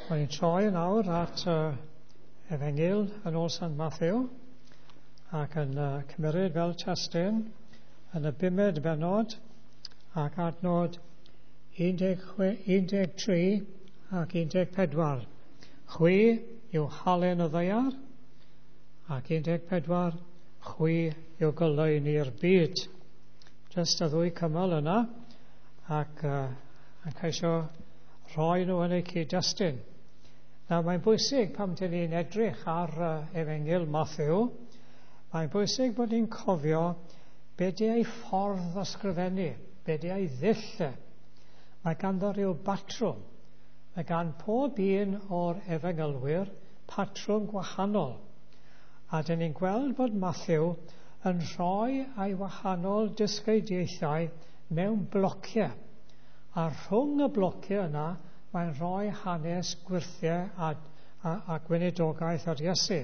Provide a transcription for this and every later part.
Mae'n troi yn awr at Efengyl yn ôl Sant Matthew ac yn cymryd fel testun yn y bumed bennod ac adnod 13 ac 14. Chwi yw halen y ddaear ac 14 chwi yw goleuni'r byd. Jyst y ddwy cymal yna ac yn ceisio rhoi nhw yn eu cyd-destun. Nawr, mae'n bwysig pam dyn ni'n edrych ar Efengyl Matthew, mae'n bwysig bod ni'n cofio be di ei ffordd ysgrifennu, be di ei ddull e. Mae ganddo rhyw batrwm. Mae gan pob un o'r efengylwyr patrwm gwahanol. A dyn ni'n gweld bod Matthew yn rhoi ei wahanol dysgeidiaethau mewn blociau. A rhwng y blociau yna, mae'n rhoi hanes gwyrthiau a gweinidogaeth ar Iesu.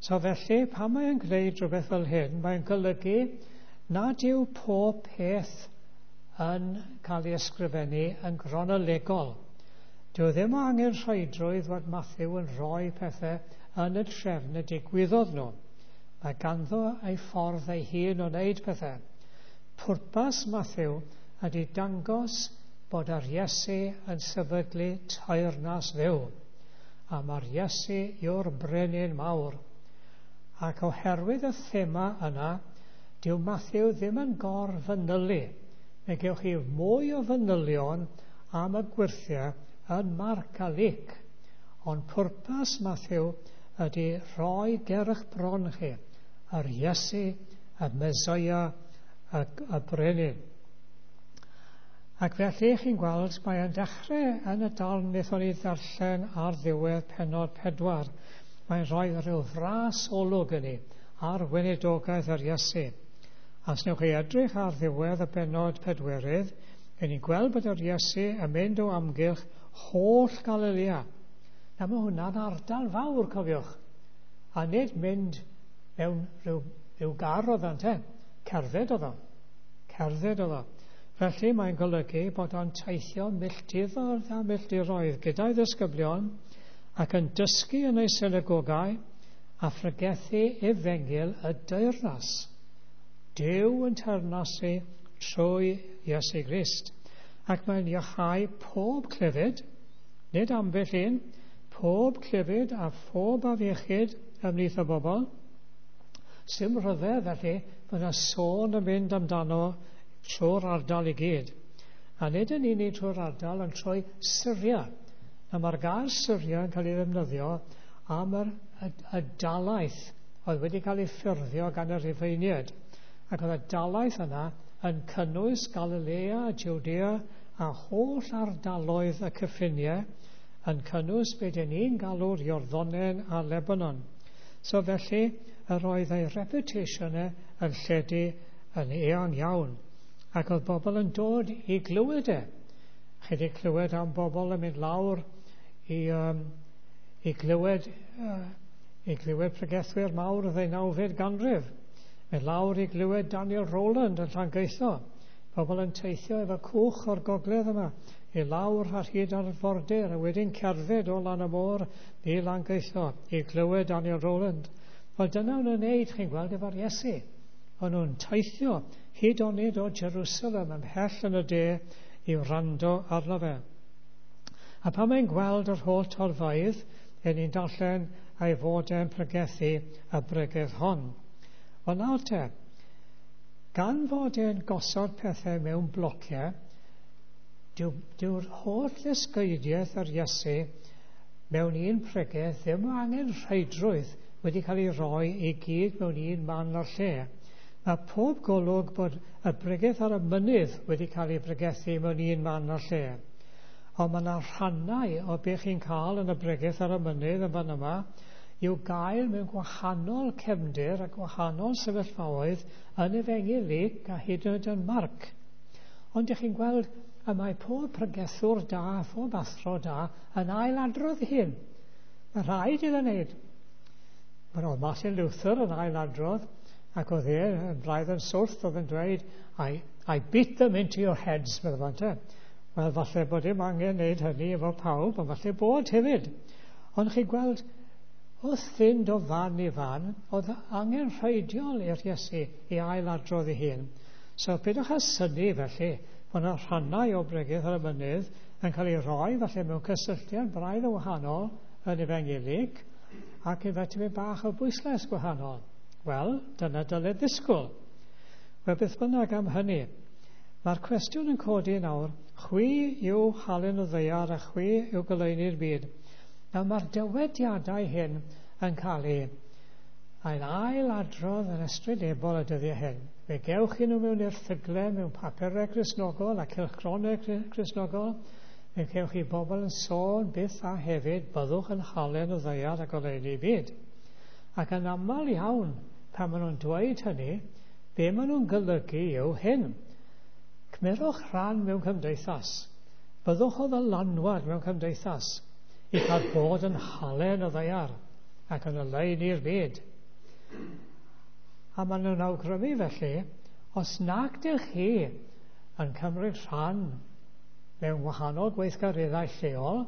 So felly, pan mae'n gwneud rhywbeth fel hyn, mae'n golygu nad yw pob peth yn cael ei ysgrifennu yn gronolegol. Dyw e ddim angen rhaidrwydd fod Matthew yn rhoi pethau yn y trefn y digwyddodd nhw. Mae ganddo ei ffordd ei hun o wneud pethau. Pwrpas Matthew ydy dangos bod yr Iesu yn sefydlu teyrnas Dduw. A mae'r Iesu yw'r brenin mawr. Ac oherwydd y thema yna, dyw Matthew ddim yn gorfanylu. Mae gewch chi mwy o fanylion am y gwyrthiau yn Marc a Luc. Ond pwrpas Matthew ydy rhoi ger eich bron chi yr Iesu, y Mesoea, y brenin. Ac felly chi'n gweld mae e'n dechrau yn y darn wnaethon ni ddarllen ar ddiwedd pennod 4. Mae'n rhoi rhyw fras olwg i ni ar weinidogaeth yr Iesu. A os newch chi edrych ar ddiwedd y bennod 4, gen ni'n gweld bod yr Iesu yn mynd o amgylch holl Galilea. Na, mae hwnna'n ardal fawr, cofiwch. A nid mynd mewn rhyw gar oedd o'n te. Cerdded oedd o. Cerdded oedd o. Felly mae'n golygu bod o'n teithio milltiroedd a milltiroedd gyda'i ddisgyblion ac yn dysgu yn ei synagogau a phregethu efengyl y deyrnas. Duw yn teyrnasu trwy Iesu Grist. Ac mae'n iachau pob clefyd, nid ambell un, pob clefyd a phob afiechyd ymhlith y bobl. Sim rhyfedd felly bod yna sôn yn mynd amdano trwy'r ardal i gyd. A nid yn unig trwy'r ardal, ond trwy Syria. A mae'r gair Syria yn cael ei ddefnyddio am y dalaith oedd wedi cael ei ffurfio gan y Rhufeiniaid. Ac oedd y dalaith yna yn cynnwys Galilea, Judea a holl ardaloedd y cyffiniau, yn cynnwys be dyn ni'n galw'r Iorddonen a Lebanon. So felly, yr oedd ei reputation e yn lledu yn eang iawn. Ac oedd bobl yn dod i glywed e. Chi wedi clywed am bobl yn mynd lawr i glywed pregethwyr mawr y ddeunawfed ganrif. Mynd lawr i glywed Daniel Rowland yn Llangeitho. Pobl yn teithio efo cwch o'r gogledd yma i lawr ar hyd arfordir a wedyn cerdded o lan y môr i Langeitho i glywed Daniel Rowland. Wel, dyna o'n nhw'n wneud, chi'n gweld, efo'r Iesu. O'n nhw'n teithio hyd onid o Jerusalem ymhell yn y de i wrando arno fe. A pan mae'n gweld yr holl torfeydd, yn ni'n darllen ei fod e'n pregethu y bregeth hon. Wel nawr te, gan fod e'n gosod pethau mewn blociau, dyw'r holl ddysgeidiaeth yr Iesu mewn un pregeth ddim angen rheidrwydd wedi cael ei roi i gyd mewn un man o'r lle. Mae pob golwg bod y bregeth ar y mynydd wedi cael ei bregethu mewn un man o'r lle. Ond mae yna rhannau o beth chi'n cael yn y bregeth ar y mynydd yn fan yma i'w gael mewn gwahanol cefndir a gwahanol sefyllfaoedd yn Efengyl Luc a hyd yn oed yn Marc. Ond ydych chi'n gweld y mae pob pregethwr da, pob athro da yn ailadrodd hyn. Mae rhaid iddo wneud. Mae Martin Luther yn ailadrodd, ac oedd e yn braidd yn swrth, oedd yn dweud, I beat them into your heads, meddwl fan te. Wel, falle bod dim angen wneud hynny efo pawb, ond falle bod hefyd. Ond chi'n gweld, wrth fynd o fan i fan, oedd angen rheidiol i'r Iesu i ailadrodd ei hun. So peidiwch â synnu felly bod yna rhannau o Bregeth ar y Mynydd yn cael ei roi falle mewn cysylltiad braidd yn wahanol yn Efengyl Luc, ac efo tipyn bach o bwyslais gwahanol. Wel, dyna dylid ddisgwyl. Wel, beth bynnag am hynny, mae'r cwestiwn yn codi nawr, chwi yw halen y ddaear a chwi yw goleuni'r byd. Nawr, mae'r dywediadau hyn yn cael eu ail adrodd yn ystrydebol y dyddiau hyn. Fe gewch chi nhw mewn erthyglau, mewn papurau Cristnogol a cylchgronau Cristnogol. Fe cewch chi bobl yn sôn byth a hefyd, byddwch yn halen y ddaear a goleuni byd. Ac yn aml iawn, pan maen nhw'n dweud hynny, be maen nhw'n golygu yw hyn. Cymerwch rhan mewn cymdeithas. Byddwch o ddylanwad mewn cymdeithas i cael bod yn halen y ddaear ac yn oleuni'r byd. A maen nhw'n awgrymu felly, os nag dych chi yn cymryd rhan mewn wahanol gweithgareddau lleol,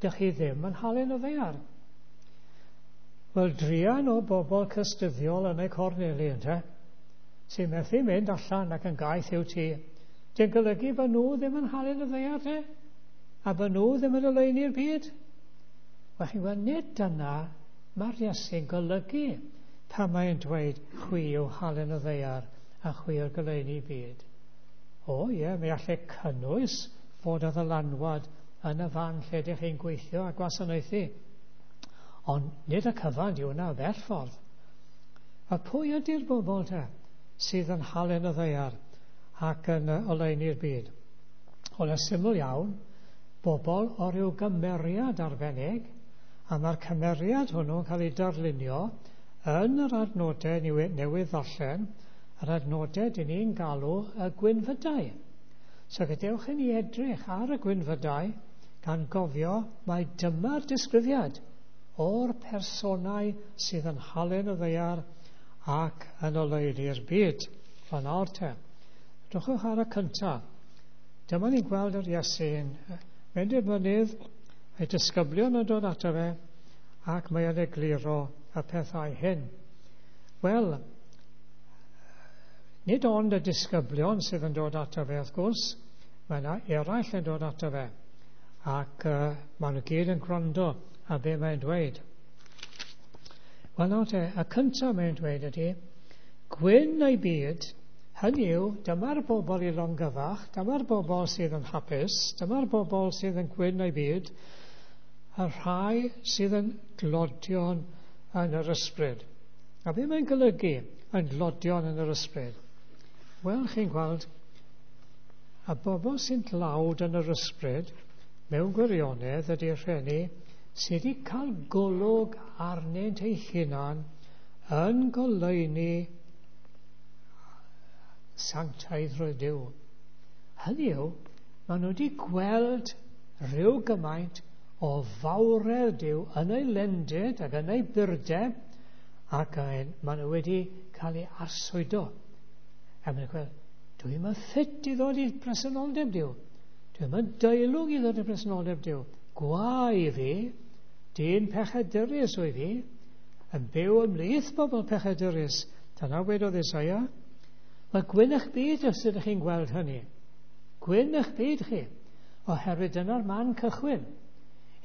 dych chi ddim yn halen y ddaear. Wel, druan o bobl cystuddiol yn eu corneli, ynte, sy'n methu mynd allan ac yn gaeth i'w tŷ. Di'n golygu bod nhw ddim yn halen y ddaear, te? A bod nhw ddim yn oleuni'r byd? Wel, chi'n gweld, nid dyna mae'r Iesu'n golygu pan mae'n dweud chwi yw halen y ddaear a chwi yw'r goleuni byd. O ie, mi allai cynnwys fod o ddylanwad yn y fan lle ydych chi'n gweithio a gwasanaethu. Ond nid y cyfan yw hwnna o bell ffordd. A pwy ydy'r bobl te sydd yn halen y ddaear ac yn oleuni'r byd? Wel, yn syml iawn, bobl o ryw gymeriad arbennig, a mae'r cymeriad hwnnw'n cael ei darlunio yn yr adnodau newydd ddarllen, yr adnodau dyn ni'n galw y gwynfydau. So gadewch i ni edrych ar y gwynfydau gan gofio mai dyma'r disgrifiad o'r personau sydd yn halen y ddaear ac yn oleuni'r byd. Fan nawr te. Drychwch ar y cyntaf. Dyma ni'n gweld yr Iesu'n mynd i'r mynydd, ei disgyblion yn dod ato fe, ac mae o'n egluro y pethau hyn. Wel, nid ond y disgyblion sydd yn dod ato fe, wrth gwrs, mae yna eraill yn dod ato fe, ac maen nhw gyd yn gwrando ar be mae'n dweud. Wel, nawr te, y cyntaf mae'n dweud ydy, gwyn ei byd, hynny yw, dyma'r bobl i longyfach, dyma'r bobl sydd yn hapus, dyma'r bobl sydd yn gwyn ei byd, y rhai sydd yn dlodion yn yr ysbryd. A be mae'n golygu yn dlodion yn yr ysbryd? Wel, chi'n gweld, y bobl sy'n dlawd yn yr ysbryd, mewn gwirionedd ydy'r rheini sydd wedi cael golwg arnynt eu hunan yn goleuni sanctaiddrwydd Duw. Hynny yw, maen nhw wedi gweld rhyw gymaint o fawredd Duw yn ei lendid ac yn ei burdeb, ac maen nhw wedi cael eu arswydo. A maen nhw'n gweld, dwi'n yn ffit i ddod i presenoldeb Duw. Dwi'n yn deilwng i ddod i presenoldeb Duw. Gwae i fi, dyn pechadurus wyf fi, yn byw ymhlith bobl pechadurus. Dyna wedodd Isaia. Mae gwyn eich byd os ydych chi'n gweld hynny. Gwyn eich byd chi, oherwydd dyna'r man cychwyn.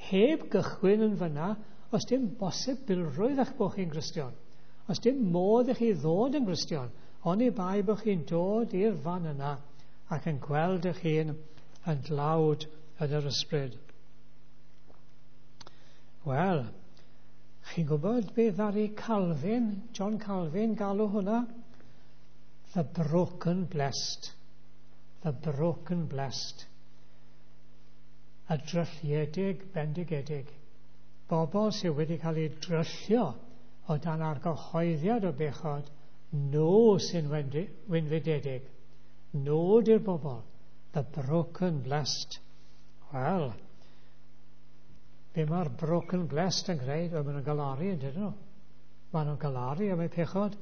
Heb gychwyn yn fyna, os dim bosibilrwydd eich bod chi'n Gristion. Os dim modd i chi ddod yn Gristion, oni bai bod chi'n dod i'r fan yna ac yn gweld eich hun yn dlawd yn yr ysbryd. Wel, chi'n gwybod beth ddaru Calvin, John Calvin, galw hwnna? The broken blessed. The broken blessed. Y drylliedig bendigedig. Bobl sydd wedi cael eu dryllio o dan argyhoeddiad o bechod, nhw sy'n wynfydedig. Nhw di'r bobl. The broken blessed. Wel, be mae'r broken blessed yn gwneud? Wel, maen nhw'n galaru, yn dydyn nhw? Maen nhw'n galaru am eu pechod.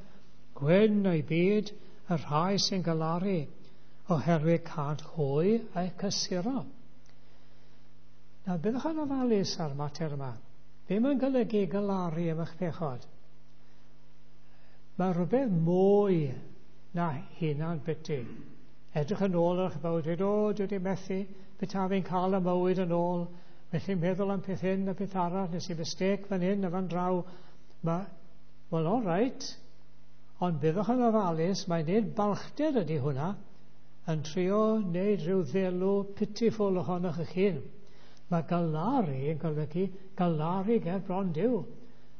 Gwyn eu byd, y rhai sy'n galaru, oherwydd cânt hwy eu cysuro. Nawr, byddwch yn ofalus ar mater yma. Ddim yn golygu galaru am eich pechod. Mae rhywbeth mwy na hunan biti. Edrych yn ôl ar eich bywyd, dweud, o, dwi wedi methu, beth fi'n cael y mywyd yn ôl, felly meddwl am peth hyn a peth arall, nes i mistake fan hyn a fan draw. Mae, wel, all right, ond byddwch yn ofalus, mae'n nid balchder ydy hwnna, yn trio wneud rhyw ddelw pitiful ohonoch eich hun. Mae galaru yn golygu galaru ger bron Duw.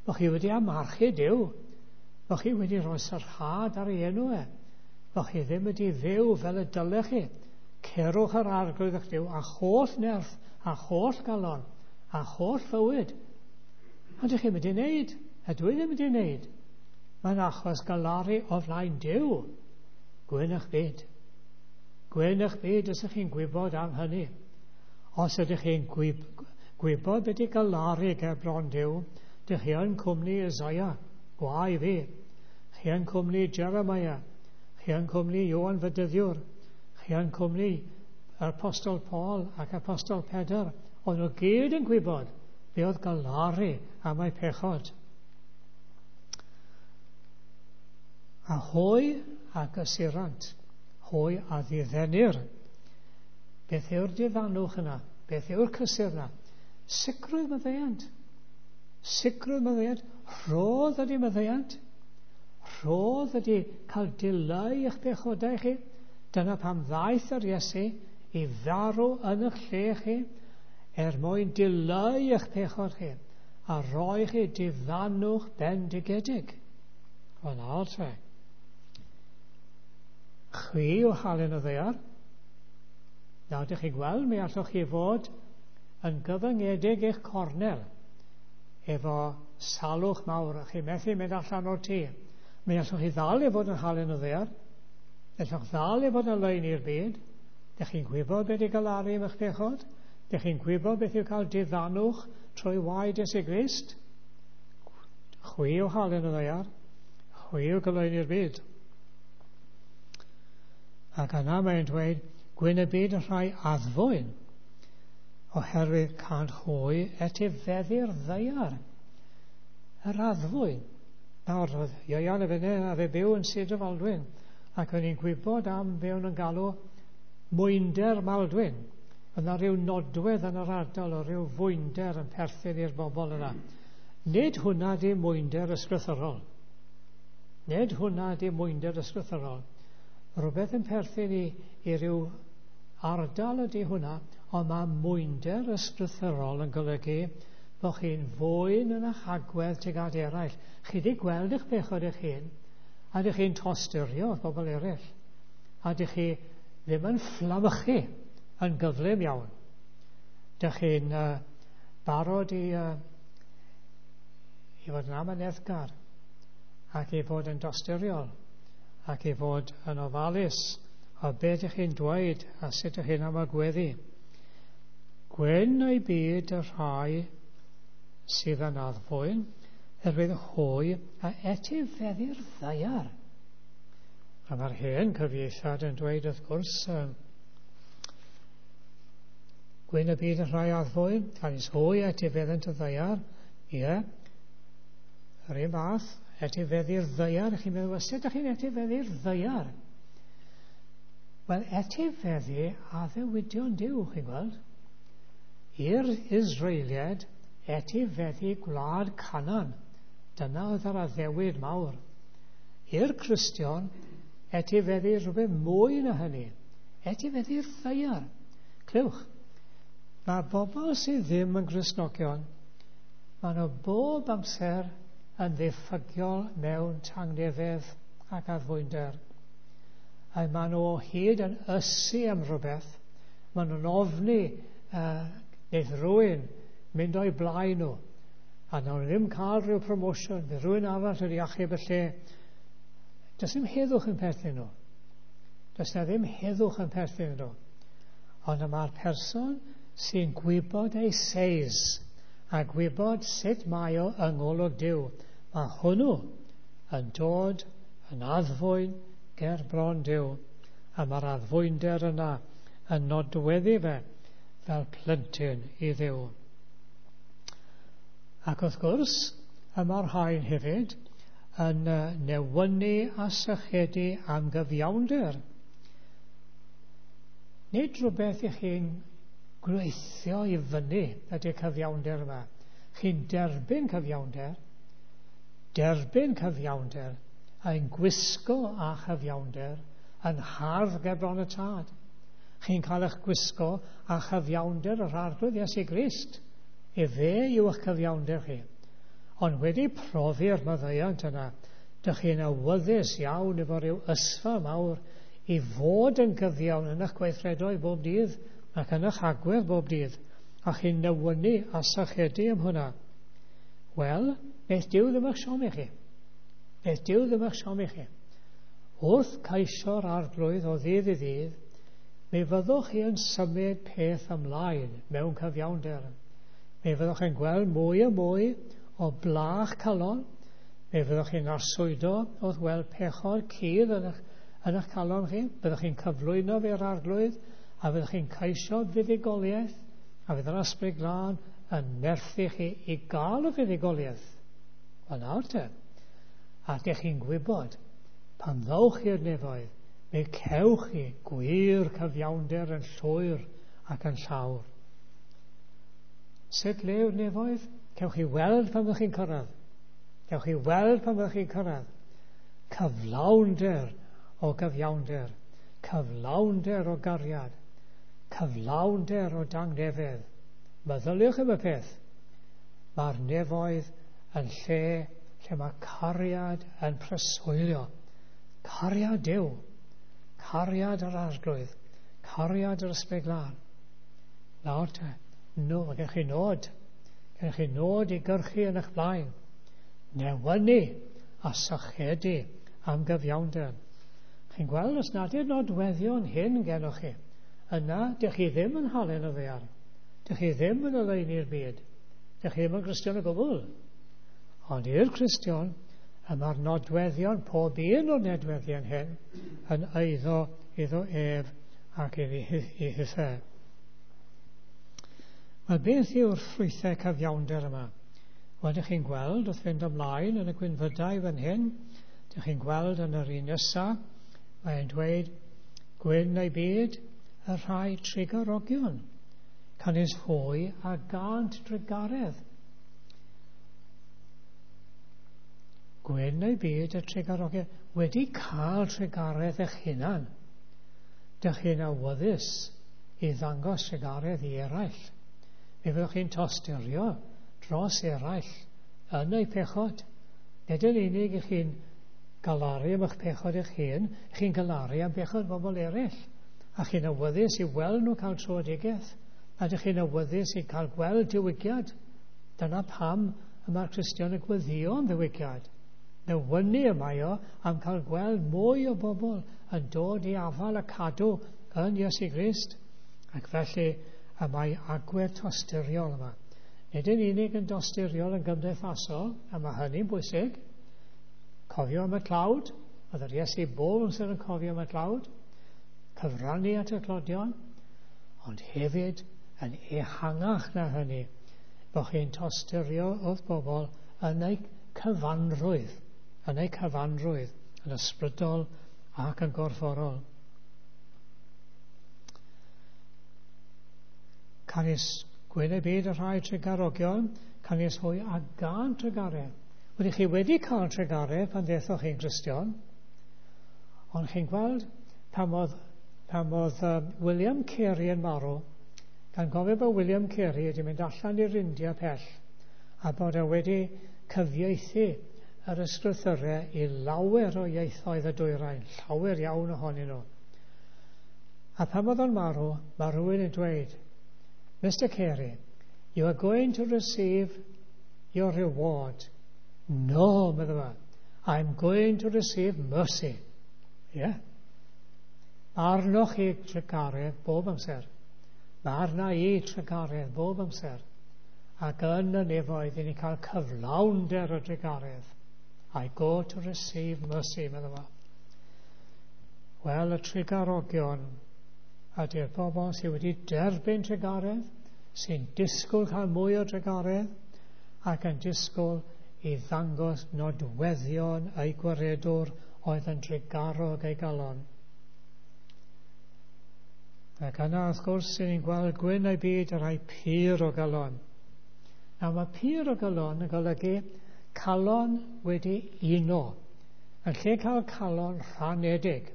Bo chi wedi amarchu Duw. Bo chi wedi rhoi sarhad ar ei enw e. Bo chi ddim wedi fyw fel y dylech chi. Cerwch yr arglwydd eich Duw a holl nerth, a holl galon, a holl fywyd. Ond ydych chi'n mynd i wneud, a dwi ddim wedi wneud. Mae'n achos galaru o flaen Duw. Gwyn eich byd. Gwyn eich byd os ydych chi'n gwybod am hynny. Os ydych chi'n gwybod beth i galaru ger bron Duw, dych chi yn cwmni Isaiah, gwae fi. Chi yn cwmni Jeremiah, chi yn cwmni Ioan Fydyddiwr, chi yn cwmni yr Apostol Paul ac Apostol Pedr. Oedd nhw gyd yn gwybod be oedd galaru am eu pechod. A hwy a gysurant, hwy a ddiddenir. Beth yw'r diddanwch yna? Beth yw'r cysur yna? Sicrwydd maddeuant. Sicrwydd maddeuant. Rhodd ydy maddeuant. Rhodd ydy cael dileu eich pechodau chi. Dyna pam ddaeth yr Iesu i farw yn eich lle chi, er mwyn dileu eich pechod chi a rhoi chi diddanwch bendigedig. Wel, nawr te. Chwi yw halen y ddaear. Nawr, dych chi'n gweld, mi allwch chi fod yn gyfyngedig eich cornel efo salwch mawr, a chi methu mynd allan o'r tŷ. Mi allwch chi ddal i fod yn halen y ddaear. Allwch ddal i fod yn lein i'r byd. Dych chi'n gwybod beth i galaru am eich pechod? Dych chi'n gwybod beth yw cael diddanwch trwy waed Iesu Grist? Chwi yw halen y ddaear. Chwi yw goleuni'r i'r byd. Ac yna mae'n dweud, gwyn y byd y rhai addfwyn, oherwydd cânt hwy etifeddu'r ddaear. Yr addfwyn. Nawr, oedd Ieuan y fyny a fe byw yn Sir Drefaldwyn, ac o'n i'n gwybod am be o'n yn galw mwynder Maldwyn. Yna rhyw nodwedd yn yr ardal o rhyw fwynder yn perthyn i'r bobl yna. Nid hwnna di mwynder ysgrythyrol. Nid hwnna di mwynder ysgrythyrol. Rhywbeth yn perthyn i, i ryw ardal ydy hwnna, ond mae mwynder ysgrythyrol yn golygu bod chi'n fwyn yn eich agwedd tuag at eraill. Chi wedi gweld eich pechod eich hun, a dych chi'n tosturio wrth bobl eraill. A dych chi ddim yn fflamychu yn gyflym iawn. Dych chi'n barod i, i fod yn amyneddgar ac i fod yn dosturiol ac i fod yn ofalus o beth ydych chi'n dweud a sut ydych chi'n amagweddu. Gwyn ei byd y rhai sydd yn addfwyn, erwydd hwy a etifeddu'r ddaear. A mae'r hen cyfieithiad yn dweud wrth gwrs, gwyn y byd y rhai addfwyn, canys hwy etifeddynt y ddaear, ie, yr un fath, etifeddu'r ddaear, chi'n meddwl, well, sut ydych chi'n etifeddu'r ddaear? Wel, etifeddu addewidion Duw, chi'n gweld. I'r Israeliad, etifeddu gwlad Canaan. Dyna oedd yr addewid mawr. I'r Cristion, etifeddu rhywbeth mwy na hynny. Etifeddu'r ddaear. Clywch, mae bobl sydd ddim yn Gristnogion, maen nhw bob amser yn ddiffygiol mewn tangnefedd ac addfwynder. A maen nhw o hyd yn ysu am rhywbeth. Maen nhw'n ofni wneith rhywun mynd o'i blaen nhw. A nawn nhw ddim cael rhyw promotion, bydd rhywun arall wedi achub y lle. Does ddim heddwch yn perthyn nhw. Does na ddim heddwch yn perthyn nhw. Ond y mae'r person sy'n gwybod ei seis a gwybod sut mae o yng ngolwg Duw, mae hwnnw yn dod yn addfwyn ger bron Duw. A mae'r addfwynder yna yn nodweddu fe fel plentyn i Dduw. Ac wrth gwrs, y mae'r rhain hefyd yn newynu a sychedu am gyfiawnder. Nid rhywbeth i chi'n gweithio i fyny ydy'r cyfiawnder yma. Chi'n derbyn cyfiawnder, derbyn cyfiawnder, a'n gwisgo â chyfiawnder yn hardd ger bron y Tad. Chi'n cael eich gwisgo â chyfiawnder yr Arglwydd Iesu Grist. Efe yw eich cyfiawnder chi. Ond wedi profi'r maddeuant yna, dych chi'n awyddus iawn efo rhyw ysfa mawr i fod yn gyfiawn yn eich gweithredoedd bob dydd ac yn eich agwedd bob dydd, a chi'n newynu a sychedu am hwnna. Wel, beth Duw ddim eich siomi chi. Beth Duw ddim eich siomi chi. Wrth ceisio'r Arglwydd o ddydd i ddydd, mi fyddwch chi yn symud peth ymlaen mewn cyfiawnder. Mi fyddwch chi'n gweld mwy a mwy o blach calon. Mi fyddwch chi'n arswydo wrth weld pechod cudd yn eich calon chi. Byddwch chi'n cyflwyno fe'r Arglwydd, a fyddwch chi'n ceisio fuddugoliaeth, a fydd yr Ysbryd Glân yn nerthu chi i gael y fuddugoliaeth. Wel nawr te, a dych chi'n gwybod, pan ddowch i'r nefoedd, mi cewch chi gwir cyfiawnder yn llwyr ac yn llawr. Sut le yw'r nefoedd? Cewch chi weld pan fyddwch chi'n cyrraedd. Cewch chi weld pan fyddwch chi'n cyrraedd. Cyflawnder o gyfiawnder, cyflawnder o gariad, cyflawnder o dangnefedd. Meddyliwch am y peth. Mae'r nefoedd yn lle lle mae cariad yn preswylio. Cariad Duw, cariad yr Arglwydd, cariad yr Ysbryd Glân. Nawr te, no, mae gennych chi nod. Gennych chi nod i gyrchu yn eich blaen. Newynu a sychedu am gyfiawnder. Chi'n gweld os nad yw'r nodweddion hyn gennych chi, yna dych chi ddim yn halen y ddaear. Dych chi ddim yn oleuni'r byd. Dych chi ddim yn Gristion o gwbl. Ond i'r Cristion, y mae'r nodweddion, pob un o'r nodweddion hyn, yn eiddo iddo ef ac iddi hithe. Wel, beth yw'r ffrwythau cyfiawnder yma? Wel, dych chi'n gweld wrth fynd ymlaen yn y gwynfydau fan hyn, dych chi'n gweld yn yr un nesaf, mae'n dweud, gwyn ei byd y rhai trugarogion, canys hwy a gânt drugaredd. Gwyn ei byd y trugarogion, wedi cael trugaredd eich hunan. Dych chi'n awyddus i ddangos trugaredd i eraill. Mi fyddwch chi'n tosturio dros eraill yn eu pechod. Nid yn unig i chi'n galaru am eich pechod eich hun, chi'n galaru am bechod bobl eraill. A chi'n awyddus i weld nhw cael tröedigaeth. A dych chi'n awyddus i cael gweld diwygiad. Dyna pam y mae'r Cristion yn gweddïo am ddiwygiad. Newynu y mae o am cael gweld mwy o bobl yn dod i afael a cadw yn Iesu Grist. Ac felly y mae agwedd tosturiol yma. Nid yn unig yn dosturiol yn gymdeithasol, a mae hynny'n bwysig. Cofio am y tlawd, oedd yr Iesu bob amser yn cofio am y tlawd, cyfrannu at y tlodion, ond hefyd yn ehangach na hynny, bod chi'n tosturio wrth bobl yn eu cyfanrwydd, yn ysbrydol ac yn gorfforol. Canys gwyn y byd y rhai trugarogion, canys hwy a gân trugaredd. Wedi chi wedi cael trugaredd pan ddethoch chi'n Gristion, ond chi'n gweld pan oedd William Carey yn marw, gan gofio bod William Carey wedi mynd allan i'r India pell, a bod e wedi cyfieithu yr ysgrythurau i lawer o ieithoedd y dwyrain, llawer iawn ohonyn nhw. A pan oedd o'n marw, mae rhywun yn dweud, Mr Carey, you are going to receive your reward. No, medda fo, I'm going to receive mercy. Ie. Yeah. Arnoch chi trugaredd bob amser. Mae arna i trugaredd bob amser. Ac yn y nefoedd, i ni cael cyflawnder o drugaredd. I go to receive mercy, medda fo. Wel, y trugarogion ydy'r bobl sydd wedi derbyn trugaredd, sy'n disgwyl cael mwy o drugaredd, ac yn disgwyl i ddangos nodweddion eu gwaredwr oedd yn drugarog ei galon. Ac yna, wrth gwrs, sy'n ni'n gweld gwyn ei byd y rhai pur o galon. Nawr, mae pur o galon yn golygu calon wedi uno. Yn lle cael calon rhanedig,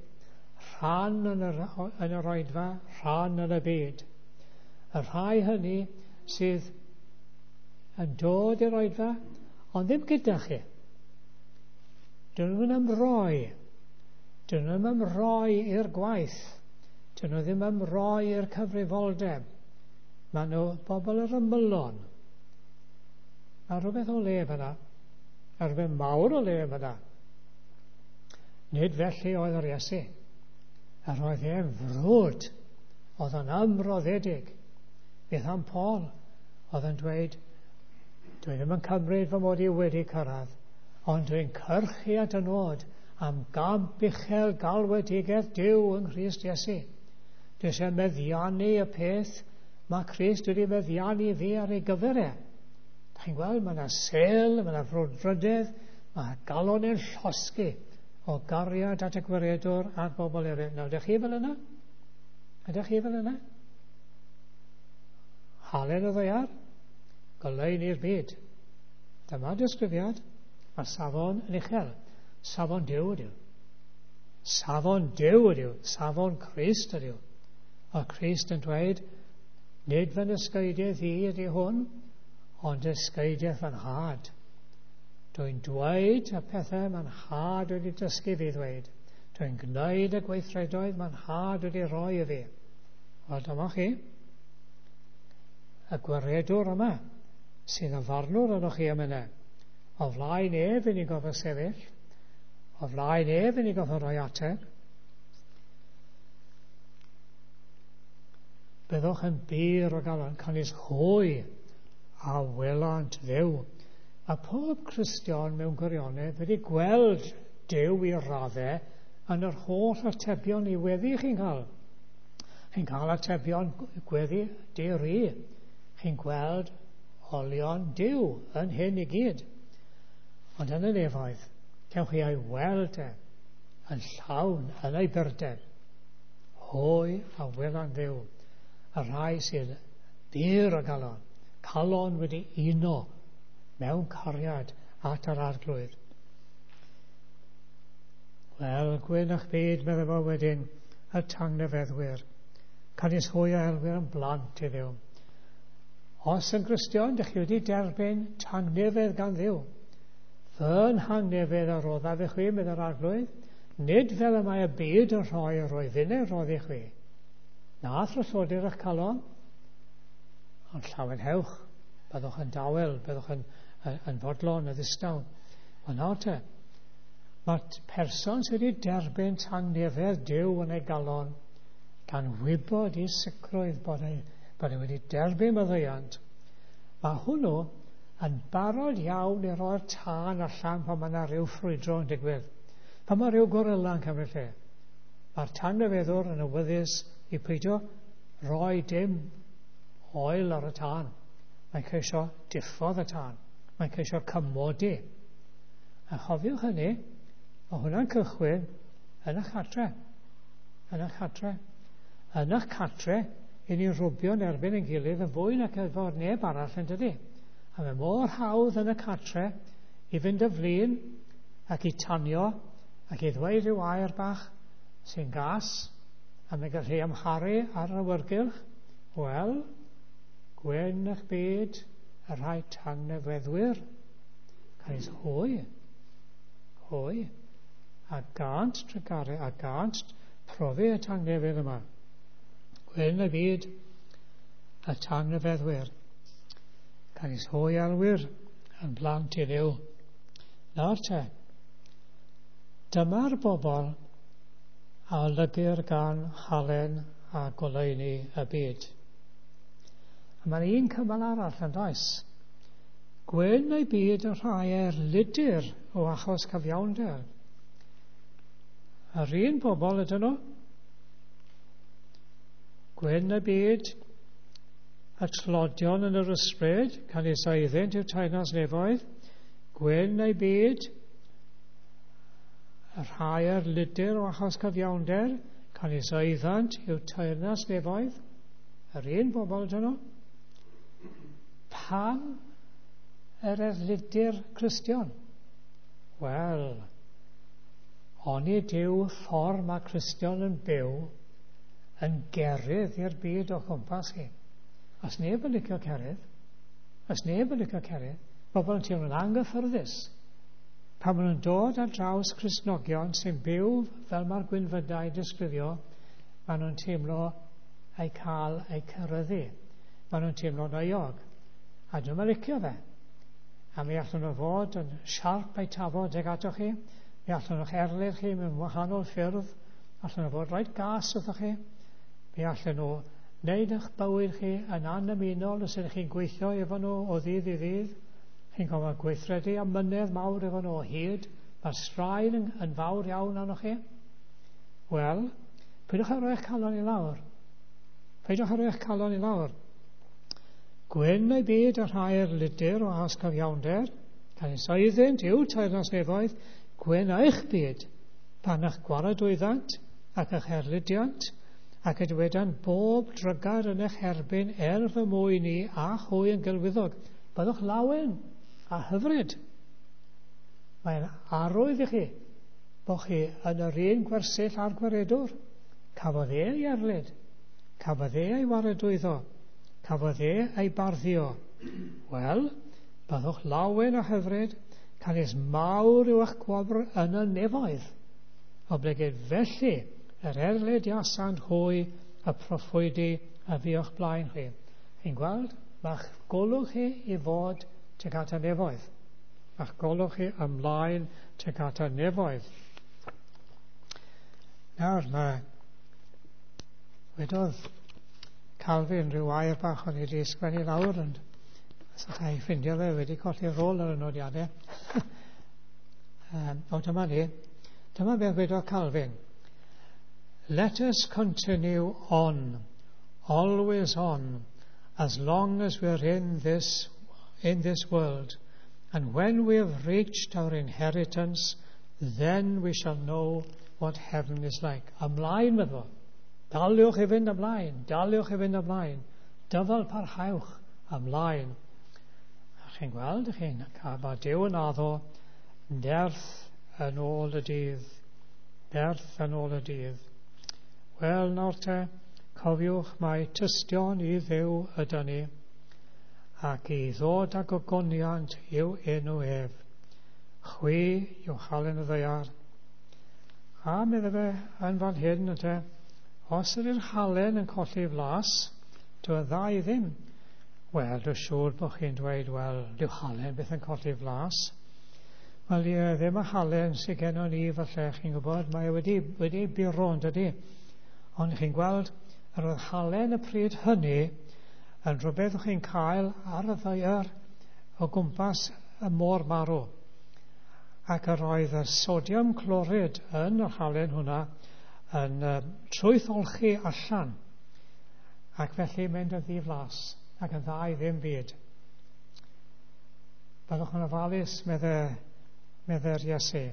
rhan yn yr oedfa, rhan yn y byd. Y rhai hynny sydd yn dod i'r oedfa, ond ddim gyda chi. Dyn nhw'n ymroi. Dyn nhw'n ymroi i'r gwaith. Dyn nhw ddim ymroi i'r cyfrifoldeb. Maen nhw bobl yr ymylon. Mae rhywbeth o le fyna. Mae rhywbeth mawr o le fyna. Nid felly oedd yr Iesu. Yr oedd e'n frwd. Oedd yn ymroddedig. Beth am Paul? Oedd yn dweud, dwi ddim yn cymryd fy mod i wedi cyrraedd, ond dwi'n cyrchu at y nod am gamp uchel galwedigaeth Duw yng Nghrist Iesu. Dwi eisiau meddiannu y peth mae Crist wedi meddiannu fi ar ei gyfer e. Da chi'n gweld, mae yna sel, mae yna frwdfrydedd, mae galon yn llosgi o gariad at y gwaredwr a'r bobl eraill. Nawr, ydych chi fel yna? Ydych chi fel yna? Halen y ddaear, goleuni'r byd. Dyma disgrifiad. Mae safon yn uchel. Safon Duw ydyw. Safon Duw ydyw. Safon Crist ydyw. A Crist yn dweud, nid fy nysgeidiaeth i ydy hwn, ond dysgeidiaeth fy nhad. Dwi'n dweud y pethau mae'n nhad wedi dysgu fi ddweud. Dwi'n gwneud y gweithredoedd mae'n nhad wedi rhoi i fi. Wel, dyma chi. Y gwaredwr yma, sydd yn farnwr yno chi am yna. O flaen ef i ni'n gofio sefyll. O flaen ef i ni'n gofio rhoi ateb. Byddwch yn bur o galon, canys hwy a welant Dduw. Mae pob Cristion mewn gwirionedd wedi gweld Duw i raddau yn yr holl atebion i weddi chi'n cael. Chi'n cael atebion gweddi di-ri. Chi'n gweld olion Duw yn hyn i gyd. Ond yn y nefoedd, cewch chi ei weld e yn llawn yn ei burdeb. Hwy a welan Dduw, y rhai sydd bur o galon, calon wedi uno mewn cariad at yr Arglwydd. Wel, gwyn eich byd, meddai fo wedyn, y tangnefeddwyr. Canys hwy a elwir yn blant i Dduw. Os yn Gristion, dych chi wedi derbyn tangnefedd gan Dduw. Fy nhangnefedd a roddaf i chwi, meddai'r Arglwydd, nid fel y mae y byd yn rhoi yr oedd innau roddi chwi. Na thralloddir eich calon, ond llawenhewch, byddwch yn dawel, byddwch yn fodlon, yn ddistaw. Wel nawr te, mae person sydd wedi derbyn tangnefedd Duw yn ei galon, gan wybod i sicrwydd bod e wedi derbyn maddeuant, mae hwnnw yn barod iawn i roi'r tân allan pan mae yna rhyw ffrwydro yn digwydd. Pan mae rhyw gorilla yn cymryd lle. Mae'r tangnefeddwr yn awyddus i peidio rhoi dim oel ar y tân. Mae'n ceisio diffodd y tân. Mae'n ceisio cymodi. A chofiwch hynny, mae hwnna'n cychwyn yn eich cartre. Yn eich cartre. Yn eich cartre, i ni'n rwbio'n erbyn ein gilydd yn fwy nac efo'r neb arall yn dydi. A mae mor hawdd yn y cartre i fynd y flin ac i tanio ac i ddweud rhyw air bach sy'n gas a mae'n gallu amharu ar yr awyrgylch. Wel, gwyn eich byd y rhai tangnefeddwyr. Canys hwy, a gant trugaredd, a gant profi y tangnefedd yma. Gwyn y byd y tangnefeddwyr. Canys hwy alwyr yn blant i Dduw. Nawr te, dyma'r bobl a olygir gan halen a goleuni y byd. A mae'n un cymal arall yn does. Gwyn ei byd y rhai erlidir o achos cyfiawnder. Yr un bobl ydyn nhw. Gwyn y byd, y tlodion yn yr ysbryd, canys oeddynt yw teyrnas nefoedd. Gwyn ei byd, y rhai ar lidyr o achos cyfiawnder, canys oeddant yw teyrnas nefoedd. Yr un bobl ydyn nhw. Pam yr erlidyr Cristion? Wel, onid yw ffordd mae Cristion yn byw yn gerydd i'r byd o chwmpas hi. Os neb yn licio cerydd, os neb yn licio cerydd, bobl yn teimlo'n anghyffyrddus. Pan maen nhw'n dod ar draws Cristnogion sy'n byw fel mae'r gwynfydau disgrifio, maen nhw'n teimlo eu cael eu ceryddu. Maen nhw'n teimlo'n euog. A dwi'm yn licio fe. A mi allwn nhw fod yn siarp eu tafod ag atoch chi. Mi allwn nhw'ch erlid chi mewn wahanol ffyrdd. Allwn nhw fod reit gas wrthoch chi. Mi allan nhw wneud eich bywyd chi yn annymunol os ydych chi'n gweithio efo nhw o ddydd i ddydd. Chi'n gorfod gweithredu amynedd mawr efo nhw o hyd. Mae'r straen yn fawr iawn arnoch chi. Wel, peidiwch â rhoi eich calon i lawr. Peidiwch â rhoi eich calon i lawr. Gwyn ei byd y rhai ar lidyr o achos cyfiawnder, canys oeddynt yw teyrnas nefoedd, gwyn eich byd, pan eich gwaradwyddant ac eich erlidiant, ac y dywedan bob drygar yn eich erbyn er fy mwyn i a hwy yn gelwyddog. Byddwch lawen a hyfryd. Mae'n arwydd i chi bod chi yn yr un gwersyll a'r gwaredwr. Cafodd e ei erlid, cafodd e ei waradwyddo, cafodd e ei barddio. Wel, byddwch lawen a hyfryd, canys mawr yw eich gwobr yn y nefoedd. Oblegid felly yr erlidiasant hwy y proffwydi a fu o'ch blaen chi. Chi'n gweld, mae'ch golwg chi i fod tuag at y nefoedd. Mae'ch golwg chi ymlaen tuag at y nefoedd. Nawr, mae wedodd Calvin rhyw air bach o'n i wedi sgwennu lawr, ond os allai ffindio fe, wedi colli'r rôl ar y nodiadau. O, dyma ni. Dyma beth wedodd Calvin. Let us continue on, always on, as long as we're in this world. And when we have reached our inheritance, then we shall know what heaven is like. Ymlaen, meddwl. Daliwch i fynd ymlaen, daliwch i fynd ymlaen. Dyfal parhawch ymlaen. A chi'n gweld, chi'n cael mae Duw yn addo nerth yn ôl y dydd. Nerth yn ôl y dydd. Wel, nawr te, cofiwch mai tystion i Dduw ydan ni, ac i ddod â gogoniant i'w enw ef. Chwi yw halen y ddaear. A medde fe yn fan hyn, ynte, os ydy'r halen yn colli flas, dyw e dda i ddim. Wel, dwi'n siŵr bod chi'n dweud, wel, dyw halen beth yn colli flas. Wel, ie, ddim y halen sydd gennon ni, falle, chi'n gwybod, mae e wedi buro, yn dydy. Ond chi'n gweld, yr oedd halen y pryd hynny yn rhywbeth o'ch chi'n cael ar y ddaear o gwmpas y môr marw. Ac yr oedd y sodium clorid yn yr halen hwnna yn trwytholchi allan. Ac felly mynd yn ddiflas ac yn dda i ddim byd. Byddwch yn ofalus, medde'r Iesu,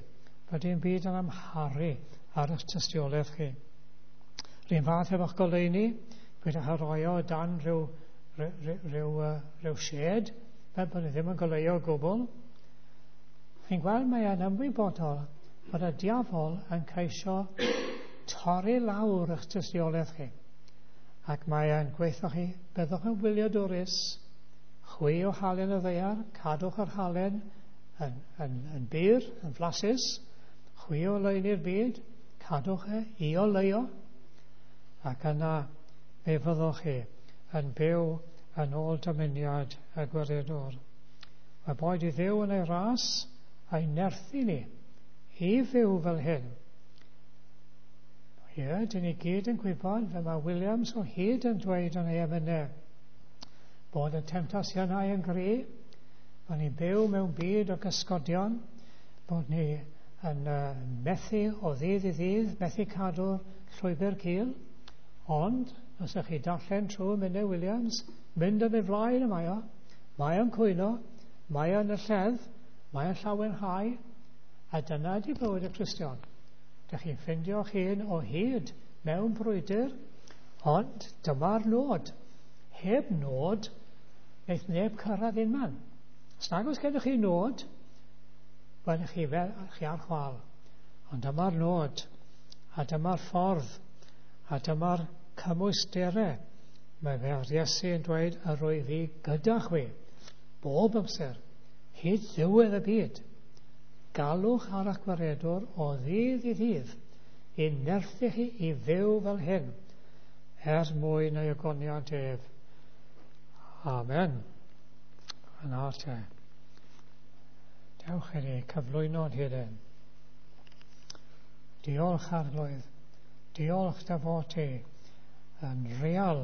bod dim byd yn amharu ar eich tystiolaeth chi. Rhywun fath efo'ch goleuni, peidiwch â roi o dan rhyw shed, fel bod ni ddim yn goleuo o gwbl. Chi'n gweld, mae e'n ymwybodol bod y diafol yn ceisio torri lawr eich tystiolaeth chi. Ac mae e'n gweithio chi, byddwch yn wyliadwrus, chwi o halen y ddaear, cadwch yr halen yn bur, yn flasus, chwi o oleuni'r byd, cadwch e i oleuo, ac yna fe fyddwch chi yn byw yn ôl dymuniad y gwaredwr. Mae boed i Dduw yn ei ras a'i nerthu ni i fyw fel hyn. Ie, dyn ni gyd yn gwybod, fel mae Williams o hyd yn dweud yn ei emynau, bod y temtasiynau yn gry, bod ni'n byw mewn byd o gysgodion, bod ni yn methu o ddydd i ddydd, methu cadw'r llwybr cul, ond os ydych chi darllen trwy Menna Williams, mynd yn ei flaen y mae o, mae o'n cwyno, mae o'n y lledd, mae o'n llawenhau, a dyna ydy bywyd y Cristion. Dych chi'n ffeindio'ch hun o hyd mewn brwydr, ond dyma'r nod. Heb nod, wneith neb cyrraedd un man. Os nag oes gennych chi nod, wel, chi, fel, chi ar chwal. Ond dyma'r nod, a dyma'r ffordd, a dyma'r cymwysterau. Mae fe'r Iesu yn dweud, yr wyf fi gyda chwi, bob amser, hyd ddiwedd y byd. Galwch ar eich gwaredwr o ddydd i ddydd, i nerthu chi i fyw fel hyn, er mwyn ei ogoniant ef. Amen. Yna te. Dewch i ni cyflwyno'n hunain. Diolch, Arglwydd. Diolch dy fod ti yn real.